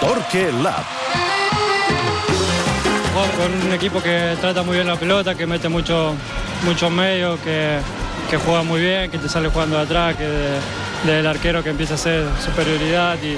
Torque Lab. Con un equipo que trata muy bien la pelota, que mete mucho medio, que juega muy bien, que te sale jugando de atrás, que del arquero que empieza a hacer superioridad y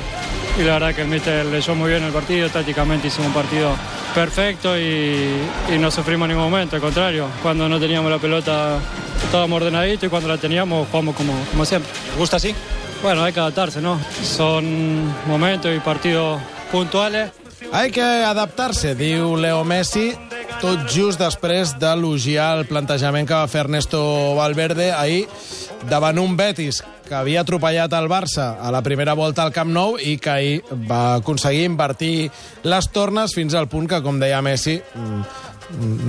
la verdad que el míster leyó muy bien el partido, tácticamente hicimos un partido perfecto y no sufrimos en ningún momento, al contrario, cuando no teníamos la pelota estábamos ordenaditos y cuando la teníamos jugamos como siempre. ¿Te gusta así? Bueno, hay que adaptarse, ¿no? Son momentos y partidos puntuales. Hay que adaptar-se, diu Leo Messi, tot just després d'elogiar el plantejament que va fer Ernesto Valverde ahir davant un Betis que havia atropellat el Barça a la primera volta al Camp Nou i que ahir va aconseguir invertir les tornes fins al punt que, com deia Messi,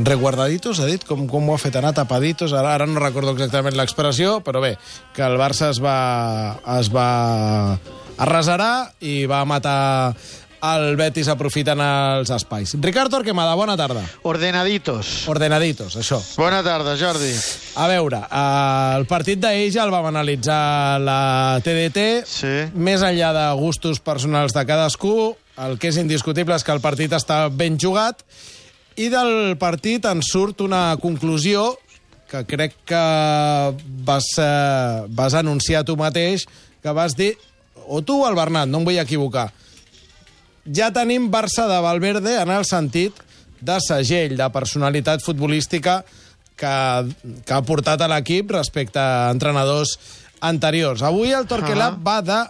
reguardaditos, ha dit? Com ho ha fet anar? Tapaditos? Ara no recordo exactament l'expressió, però bé, que el Barça es va arrasarar i va matar el Betis aprofitant els espais. Ricard Torquemada, bona tarda. Ordenaditos, això. Bona tarda, Jordi. A veure, el partit d'ahir ja el vam analitzar la TDT. Sí. Més enllà de gustos personals de cadascú, el que és indiscutible és que el partit està ben jugat i del partit en surt una conclusió que crec que vas anunciar tu mateix, que vas dir, o tu o el Bernat, no em vull equivocar, ja tenim Barça de Valverde en el sentit de segell, de personalitat futbolística que ha portat a l'equip respecte a entrenadors anteriors. Avui el Torque Lab va de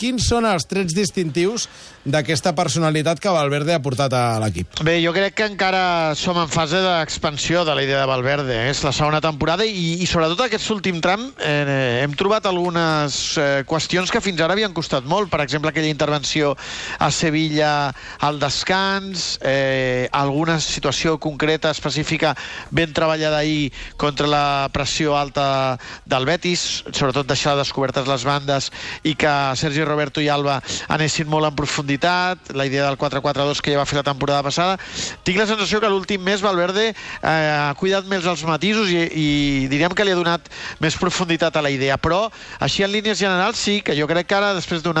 quins són els trets distintius d'aquesta personalitat que Valverde ha portat a l'equip. Bé, jo crec que encara som en fase d'expansió de la idea de Valverde. És la segona temporada i sobretot aquest últim tram hem trobat algunes qüestions que fins ara havien costat molt. Per exemple, aquella intervenció a Sevilla al descans, alguna situació concreta, específica, ben treballada ahir contra la pressió alta del Betis, sobretot deixar descobertes les bandes i que Sergi Roberto i Alba anessin molt en profunditat, la idea del 4-4-2 que ja va fer la temporada passada. Tinc la sensació que l'últim mes Valverde ha cuidat més els matisos i diríem que li ha donat més profunditat a la idea, però així en línies generals sí, que jo crec que ara, després de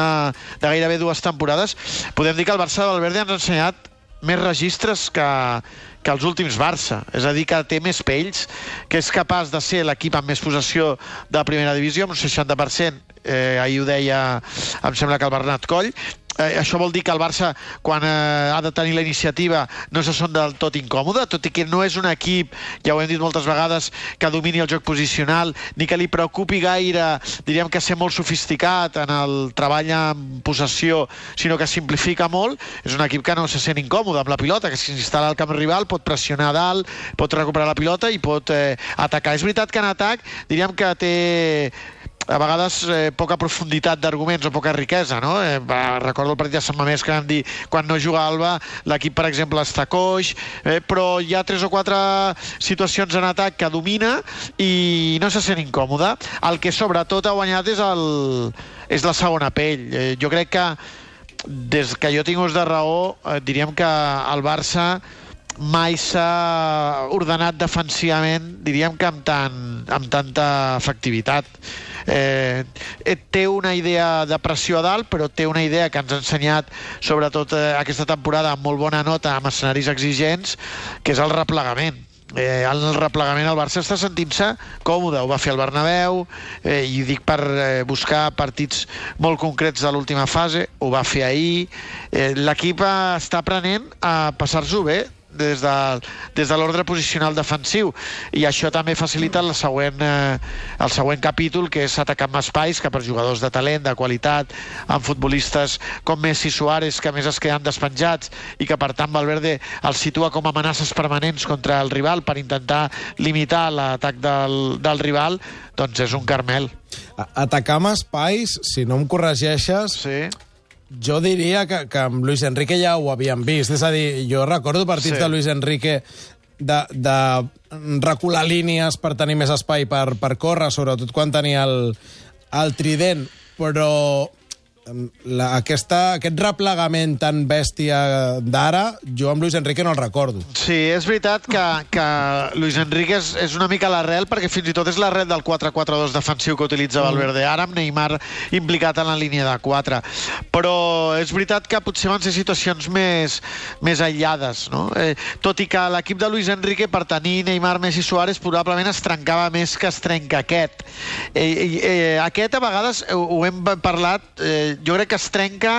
gairebé 2 temporades, podem dir que el Barça de Valverde ens ha ensenyat més registres que els últims Barça, és a dir, que té més pells, que és capaç de ser l'equip amb més possessió de la primera divisió, amb un 60%, ahir ho deia, em sembla que el Bernat Coll. Això vol dir que el Barça, quan ha de tenir la iniciativa, no se sent del tot incòmode, tot i que no és un equip, ja ho hem dit moltes vegades, que domini el joc posicional, ni que li preocupi gaire, diríem que ser molt sofisticat en el treball en possessió, sinó que simplifica molt. És un equip que no se sent incòmode amb la pilota, que si s'instal·la al camp rival pot pressionar a dalt, pot recuperar la pilota i pot atacar. És veritat que en atac diríem que té a vegades poca profunditat d'arguments o poca riquesa, no? Recordo el partit de Sant Mamés que vam dir quan no juga Alba, l'equip, per exemple, està coix, però hi ha 3 o 4 situacions en atac que domina i no se sent incòmode. El que sobretot ha guanyat és la segona pell. Jo crec que des que jo tinc ús de raó, diríem que el Barça mai s'ha ordenat defensivament, diríem que amb tanta efectivitat. Té una idea de pressió a dalt, però té una idea que ens ha ensenyat sobretot aquesta temporada amb molt bona nota, amb escenaris exigents, que és el replegament. El replegament al Barça està sentint-se còmode, ho va fer el Bernabéu, i ho dic per buscar partits molt concrets de l'última fase, ho va fer ahir. L'equip està aprenent a passar-s'ho bé des de l'ordre posicional defensiu, i això també facilita el següent capítol, que és atacar amb espais, que per jugadors de talent, de qualitat, amb futbolistes com Messi i Suárez, que més es queden despenjats i que per tant Valverde els situa com a amenaces permanents contra el rival per intentar limitar l'atac del rival, doncs és un caramel. Atacar amb espais, si no em corregeixes... Sí. Jo diria que amb Luis Enrique ja ho havíem vist. És a dir, jo recordo partits de Luis Enrique de recular línies per tenir més espai per córrer, sobretot quan tenia el trident, però aquest replegament tan bèstia d'ara, jo amb Luis Enrique no el recordo. Sí, és veritat que Luis Enrique és una mica l'arrel, perquè fins i tot és l'arrel del 4-4-2 defensiu que utilitza Valverde ara, amb Neymar implicat en la línia de 4. Però és veritat que potser van ser situacions més aïllades, no? Tot i que l'equip de Luis Enrique, per tenir Neymar, Messi, Suárez, probablement es trencava més que es trenca aquest. Aquest, a vegades, ho hem parlat, jo crec que es trenca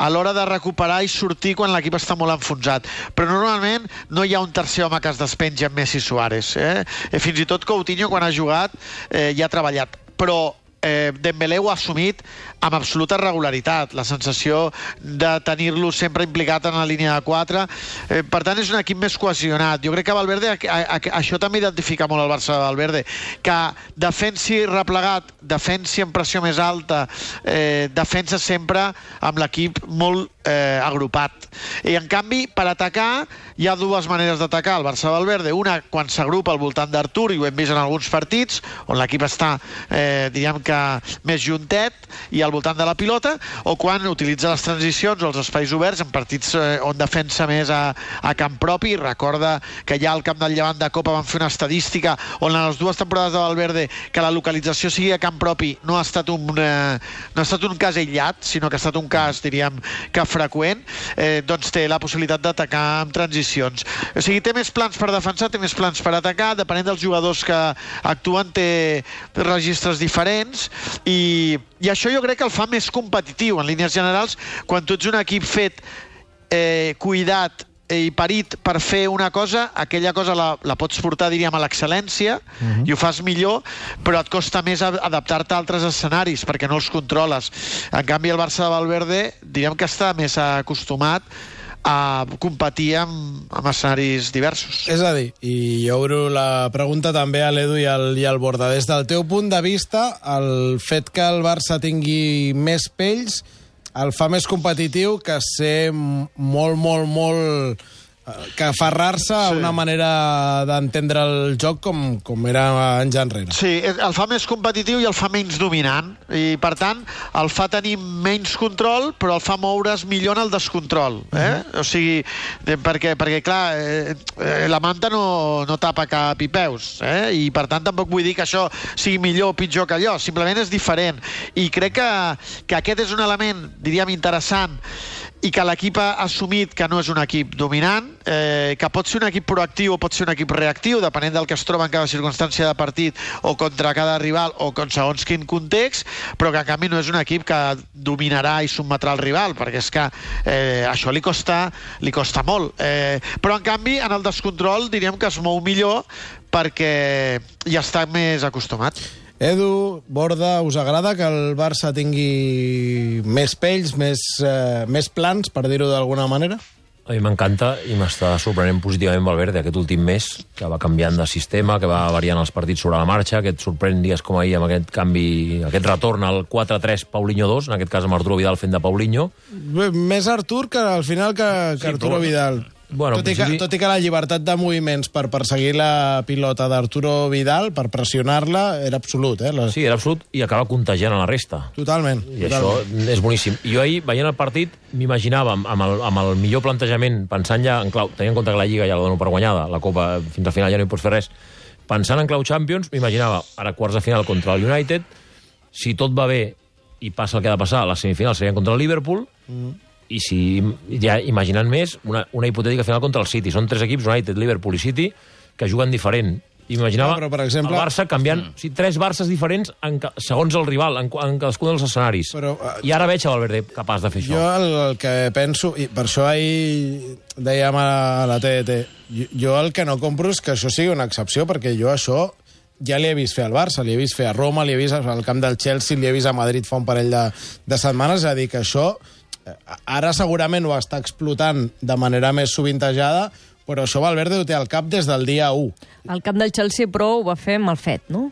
a l'hora de recuperar i sortir quan l'equip està molt enfonsat. Però normalment no hi ha un tercer home que es despenja amb Messi Suárez. Fins i tot Coutinho, quan ha jugat, ja ha treballat. Però Dembélé ho ha assumit amb absoluta regularitat, la sensació de tenir-lo sempre implicat en la línia de 4. Per tant, és un equip més cohesionat. Jo crec que Valverde, això també identifica molt el Barça de Valverde, que defensi replegat, defensi en pressió més alta, defensa sempre amb l'equip molt agrupat. I en canvi, per atacar, hi ha dues maneres d'atacar el Barça de Valverde. Una, quan s'agrupa al voltant d'Artur, i ho hem vist en alguns partits, on l'equip està, diríem que més juntet i al voltant de la pilota, o quan utilitza les transicions o els espais oberts en partits on defensa més a camp propi. Recorda que ja al camp del Llevant de Copa van fer una estadística on en les dues temporades de Valverde que la localització sigui a camp propi no ha estat un cas aïllat, sinó que ha estat un cas, diríem, que freqüent, doncs té la possibilitat d'atacar amb transicions. O sigui, té més plans per defensar, té més plans per atacar, depenent dels jugadors que actuen, té registres diferents, i això jo crec que el fa més competitiu en línies generals. Quan tu ets un equip fet, cuidat i parit per fer una cosa, aquella cosa la pots portar, diríem, a l'excel·lència, i ho fas millor, però et costa més adaptar-te a altres escenaris perquè no els controles. En canvi, el Barça de Valverde, diríem que està més acostumat a competir amb escenaris diversos. És a dir, i jo obro la pregunta també a l'Edu i al Borda, des del teu punt de vista, el fet que el Barça tingui més pells el fa més competitiu que ser molt que aferrar-se a una manera d'entendre el joc com era anys enrere. Sí, el fa més competitiu i el fa menys dominant, i per tant el fa tenir menys control, però el fa moure's millor en el descontrol. O sigui, perquè clar, la manta no tapa cap i peus, i per tant tampoc vull dir que això sigui millor o pitjor que allò, simplement és diferent. I crec que aquest és un element, diríem, interessant, i que l'equip ha assumit que no és un equip dominant, que pot ser un equip proactiu o pot ser un equip reactiu, depenent del que es troba en cada circumstància de partit o contra cada rival o segons quin context, però que en canvi no és un equip que dominarà i sotmetrà el rival, perquè és que això li costa molt. Però en canvi, en el descontrol diríem que es mou millor perquè ja està més acostumat. Edu, Borda, us agrada que el Barça tingui més pells, més plans, per dir-ho d'alguna manera? A mi m'encanta i m'està sorprenent positivament Valverde aquest últim mes, que va canviant de sistema, que va variant els partits sobre la marxa, que et sorprèn dies com ahir amb aquest canvi, aquest retorn al 4-3 Paulinho 2, en aquest cas amb Arturo Vidal fent de Paulinho. Més Artur que al final que Arturo Vidal. Bueno, tot i que la llibertat de moviments per perseguir la pilota d'Arturo Vidal, per pressionar-la, era absolut. Sí, era absolut i acaba contagiant a la resta. Totalment. I això és boníssim. Jo ahir, veient el partit, m'imaginava amb el millor plantejament, pensant ja en clau, tenint en compte que la Lliga ja la dono per guanyada, la Copa fins al final ja no hi pots fer res, pensant en clau Champions, m'imaginava ara quarts de final contra el United, si tot va bé i passa el que ha de passar, les semifinals serien contra el Liverpool, i si ja imaginant més, una hipotètica final contra el City. Són tres equips, United, Liverpool i City, que juguen diferent. Imaginava per exemple, el Barça canviant tres Barces diferents segons el rival, en cadascun dels escenaris. I ara veig a Valverde capaç de fer això. Jo el que penso, i per això ahir dèiem a la TDT, jo el que no compro és que això sigui una excepció, perquè jo això ja li he vist fer al Barça, li he vist fer a Roma, li he vist al camp del Chelsea, li he vist a Madrid fa un parell de setmanes, és a dir, que això ara segurament ho està explotant de manera més sovintejada, però això Valverde ho té al cap des del dia 1. Al camp del Chelsea, però, ho va fer mal fet, no?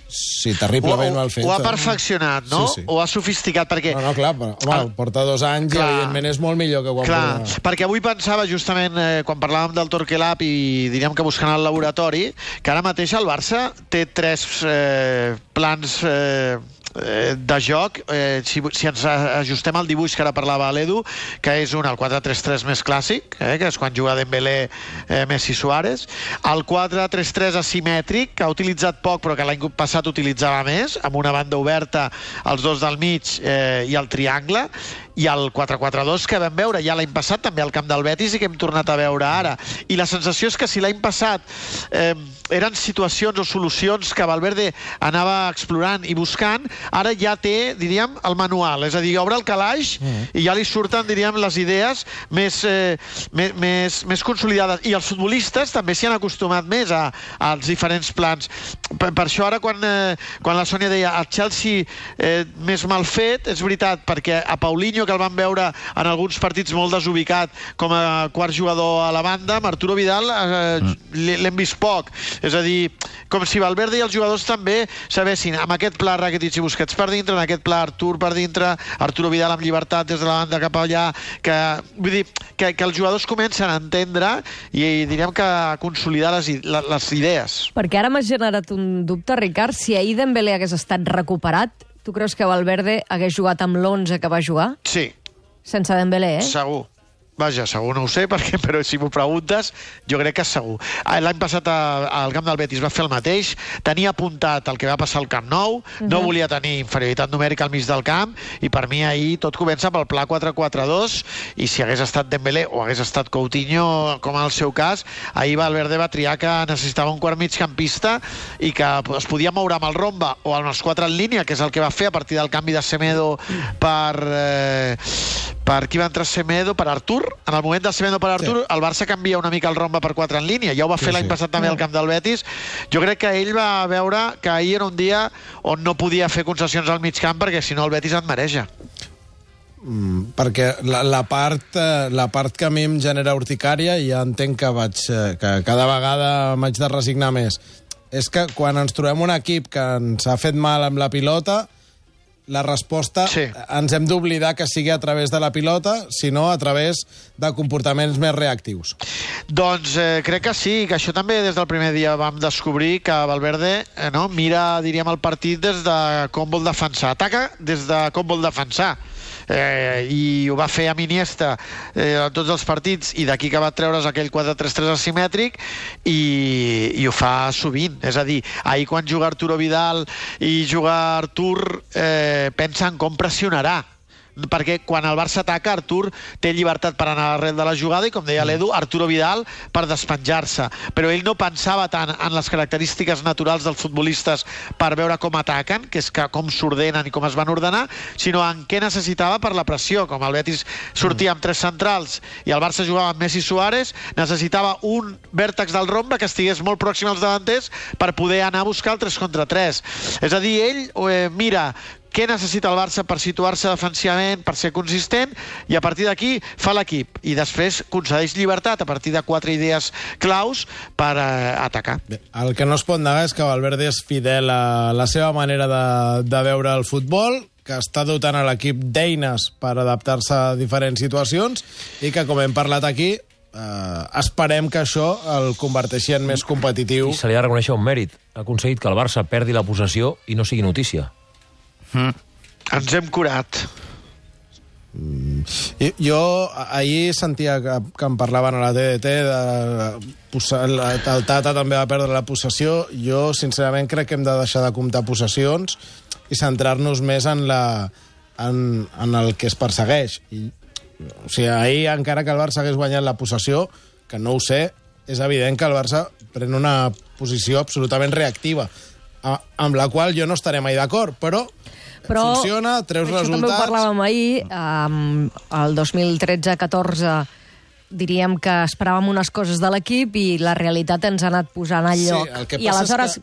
Sí, terriblement mal fet. Ho ha perfeccionat, no? Sí. Ho ha sofisticat, perquè... No, clar, però porta 2 anys i evidentment és molt millor que quan... Clar, perquè avui pensava justament, quan parlàvem del Torquelab i diríem que buscant el laboratori, que ara mateix el Barça té 3 plans de joc, si ens ajustem al dibuix que ara parlava l'Edu, que és el 4-3-3 més clàssic, que és quan juga Dembélé, Messi, Suárez, el 4-3-3 asimètric, que ha utilitzat poc però que l'any passat utilitzava més, amb una banda oberta, els dos del mig i el triangle, i el 4-4-2 que vam veure ja l'any passat també al camp del Betis i que hem tornat a veure ara. I la sensació és que si l'any passat eren situacions o solucions que Valverde anava explorant i buscant, ara ja té, diríem, el manual. És a dir, obre el calaix i ja li surten, diríem, les idees més consolidades. I els futbolistes també s'hi han acostumat més als diferents plans. Per això ara, quan la Sònia deia el Chelsea més mal fet, és veritat, perquè a Paulinho, que el vam veure en alguns partits molt desubicat com a quart jugador a la banda, amb Arturo Vidal l'hem vist poc. És a dir, com si Valverde i els jugadors també sabessin, amb aquest pla Rakitic i Busquets per dintre, en aquest pla Artur per dintre, Arturo Vidal amb llibertat des de la banda cap allà, vull dir, que els jugadors comencen a entendre i diríem que a consolidar les idees. Perquè ara m'ha generat un dubte, Ricard, si ahir Dembélé hagués estat recuperat, tu creus que Valverde hagués jugat amb l'11 que va jugar? Sí. Sense Dembélé, Segur. Vaja, segur no ho sé, però si m'ho preguntes, jo crec que és segur. L'any passat al camp del Betis va fer el mateix, tenia apuntat el que va passar al Camp Nou, no volia tenir inferioritat numèrica al mig del camp, i per mi ahir tot comença pel pla 4-4-2, i si hagués estat Dembélé o hagués estat Coutinho, com en el seu cas, ahir Valverde va triar que necessitava un quart migcampista i que es podia moure amb el Romba o amb els 4 en línia, que és el que va fer a partir del canvi de Semedo per qui va entrar Semedo? Per Artur. En el moment del Semedo per Artur, el Barça canvia una mica el Romba per 4 en línia. Ja ho va fer l'any passat també al camp del Betis. Jo crec que ell va veure que ahir era un dia on no podia fer concessions al mig camp, perquè si no el Betis et mareja. Perquè la part que a mi em genera urticària, i ja entenc que cada vegada m'haig de resignar més, és que quan ens trobem un equip que ens ha fet mal amb la pilota, la resposta ens hem d'oblidar que sigui a través de la pilota, sinó a través de comportaments més reactius. Doncs crec que sí, que això també des del primer dia vam descobrir que Valverde mira, diríem, el partit des de com vol defensar. Ataca des de com vol defensar. I ho va fer amb Iniesta en tots els partits, i d'aquí que va treure's aquell 4-3-3 asimètric, i ho fa sovint. És a dir, ahir quan juga Arturo Vidal i juga Artur, pensa en com pressionarà, perquè quan el Barça ataca, Artur té llibertat per anar a l'arrel de la jugada, i com deia l'Edu, Arturo Vidal per despenjar-se, però ell no pensava tant en les característiques naturals dels futbolistes per veure com ataquen, que és com s'ordenen i com es van ordenar, sinó en què necessitava per la pressió. Com el Betis sortia amb 3 centrals i el Barça jugava amb Messi i Suárez, necessitava un vèrtex del Romba que estigués molt pròxim als davanters per poder anar a buscar el 3 contra 3. És a dir, ell mira què necessita el Barça per situar-se defensivament, per ser consistent, i a partir d'aquí fa l'equip. I després concedeix llibertat a partir de 4 idees claus per atacar. Bé, el que no es pot negar és que Valverde és fidel a la seva manera de veure el futbol, que està dotant a l'equip d'eines per adaptar-se a diferents situacions, i que, com hem parlat aquí, esperem que això el converteixi en més competitiu. I se li ha de reconèixer un mèrit. Ha aconseguit que el Barça perdi la possessió i no sigui notícia. Ens hem curat. Jo ahir sentia que em parlaven a la TDT el Tata també va perdre la possessió. Jo sincerament crec que hem de deixar de comptar possessions i centrar-nos més en el que es persegueix. O sigui, ahir, encara que el Barça hagués guanyat la possessió, que no ho sé, és evident que el Barça pren una posició absolutament reactiva, amb la qual jo no estaré mai d'acord, però funciona, treus resultats. Això també ho parlàvem ahir, el 2013-14 diríem que esperàvem unes coses de l'equip i la realitat ens ha anat posant al lloc. I aleshores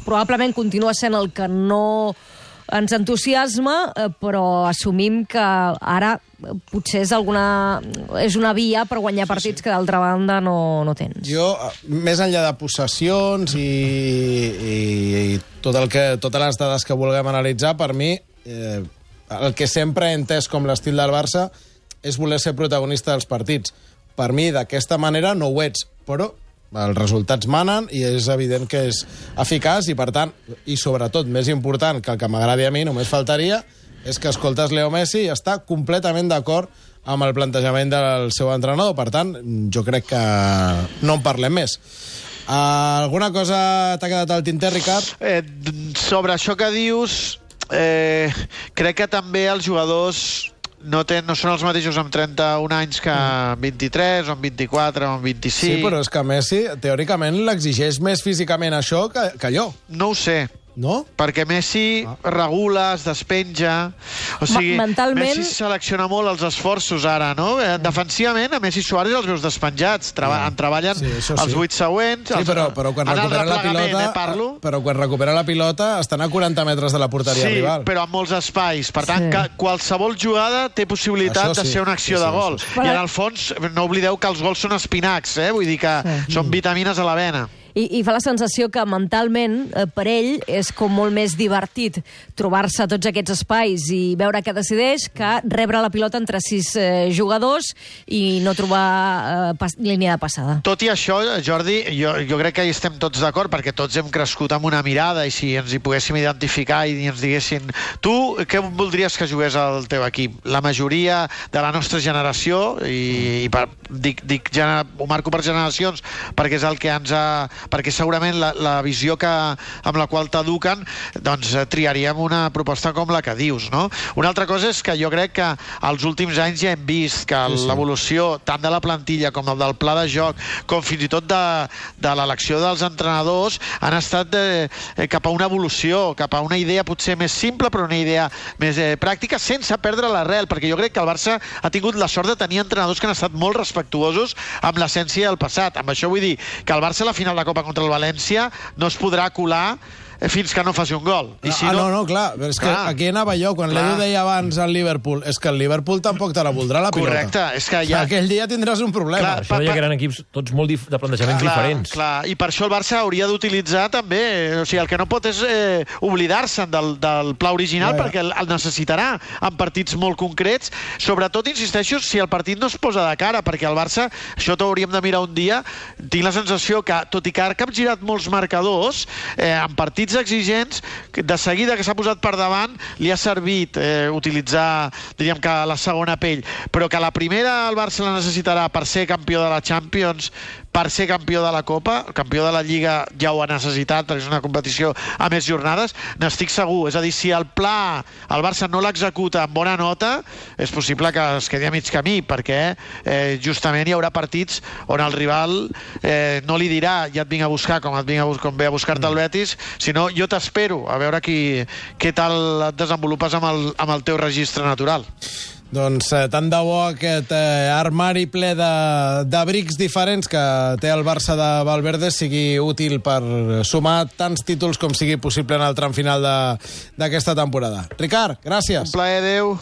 probablement continua sent el que no ens entusiasma, però assumim que ara potser és una via per guanyar partits que d'altra banda no tens. Jo, més enllà de possessions i totes les dades que vulguem analitzar, per mi, el que sempre he entès com l'estil del Barça és voler ser protagonista dels partits. Per mi, d'aquesta manera, no ho ets, però Els resultats manen i és evident que és eficaç i, per tant, i sobretot, més important que el que m'agradi a mi, només faltaria, és que escoltes Leo Messi i està completament d'acord amb el plantejament del seu entrenador. Per tant, jo crec que no en parlem més. Alguna cosa t'ha quedat al tinter, Ricard? Sobre això que dius, crec que també els jugadors no són els mateixos amb 31 anys que amb 23, o amb 24, o amb 25. Sí, però és que Messi, teòricament, l'exigeix més físicament això que allò. No ho sé. No? Perquè Messi regula, es despenja... O sigui, mentalment... Messi selecciona molt els esforços ara, no? Defensivament, a Messi i Suárez els veus despenjats. En treballen els 8 següents... Sí, però quan recupera la pilota... Però quan recupera la pilota estan a 40 metres de la porteria rival. Sí, però amb molts espais. Per tant, qualsevol jugada té possibilitat de ser una acció de gol. I en el fons, no oblideu que els gols són espinacs, vull dir que són vitamines a la vena. I fa la sensació que mentalment, per ell, és com molt més divertit trobar-se tots aquests espais i veure què decideix que rebre la pilota entre 6 jugadors i no trobar línia de passada. Tot i això, Jordi, jo crec que hi estem tots d'acord, perquè tots hem crescut amb una mirada i si ens hi poguéssim identificar i ens diguessin tu què voldries que jugués al teu equip? La majoria de la nostra generació, ho marco per generacions perquè és el que ens ha... perquè segurament la visió amb la qual t'eduquen, doncs triaríem una proposta com la que dius, no? Una altra cosa és que jo crec que als últims anys ja hem vist que l'evolució tant de la plantilla com del pla de joc, com fins i tot de l'elecció dels entrenadors, han estat cap a una evolució, cap a una idea potser més simple, però una idea més pràctica, sense perdre l'arrel, perquè jo crec que el Barça ha tingut la sort de tenir entrenadors que han estat molt respectuosos amb l'essència del passat. Amb això vull dir que el Barça a la final de Copa contra el València no es podrà colar fins que no faci un gol. I si clar, però és que aquí anava jo, quan l'Edu deia abans al Liverpool, és que el Liverpool tampoc te la voldrà la pilota. Correcte, és que ja... Aquell dia tindràs un problema. Això deia que eren equips tots molt de plantejaments diferents. Clar, i per això el Barça hauria d'utilitzar també, o sigui, el que no pot és oblidar-se'n del pla original, perquè el necessitarà en partits molt concrets, sobretot, insisteixo, si el partit no es posa de cara, perquè el Barça, això t'ho hauríem de mirar un dia, tinc la sensació que, tot i que ha capgirat molts marcadors, en partits exigents, de seguida que s'ha posat per davant, li ha servit utilitzar, diríem que la segona pell, però que la primera el Barça la necessitarà per ser campió de la Champions, per ser campió de la Copa, campió de la Lliga ja ho ha necessitat, perquè és una competició a més jornades, n'estic segur. És a dir, si el pla el Barça no l'executa amb bona nota, és possible que es quedi a mig camí, perquè justament hi haurà partits on el rival no li dirà ja et vinc a buscar com ve a buscar-te el Betis, sinó jo t'espero a veure què tal et desenvolupes amb el teu registre natural. Doncs tant de bo aquest armari ple d'abrics diferents que té el Barça de Valverde sigui útil per sumar tants títols com sigui possible en el tram final d'aquesta temporada. Ricard, gràcies. Un plaer, adéu.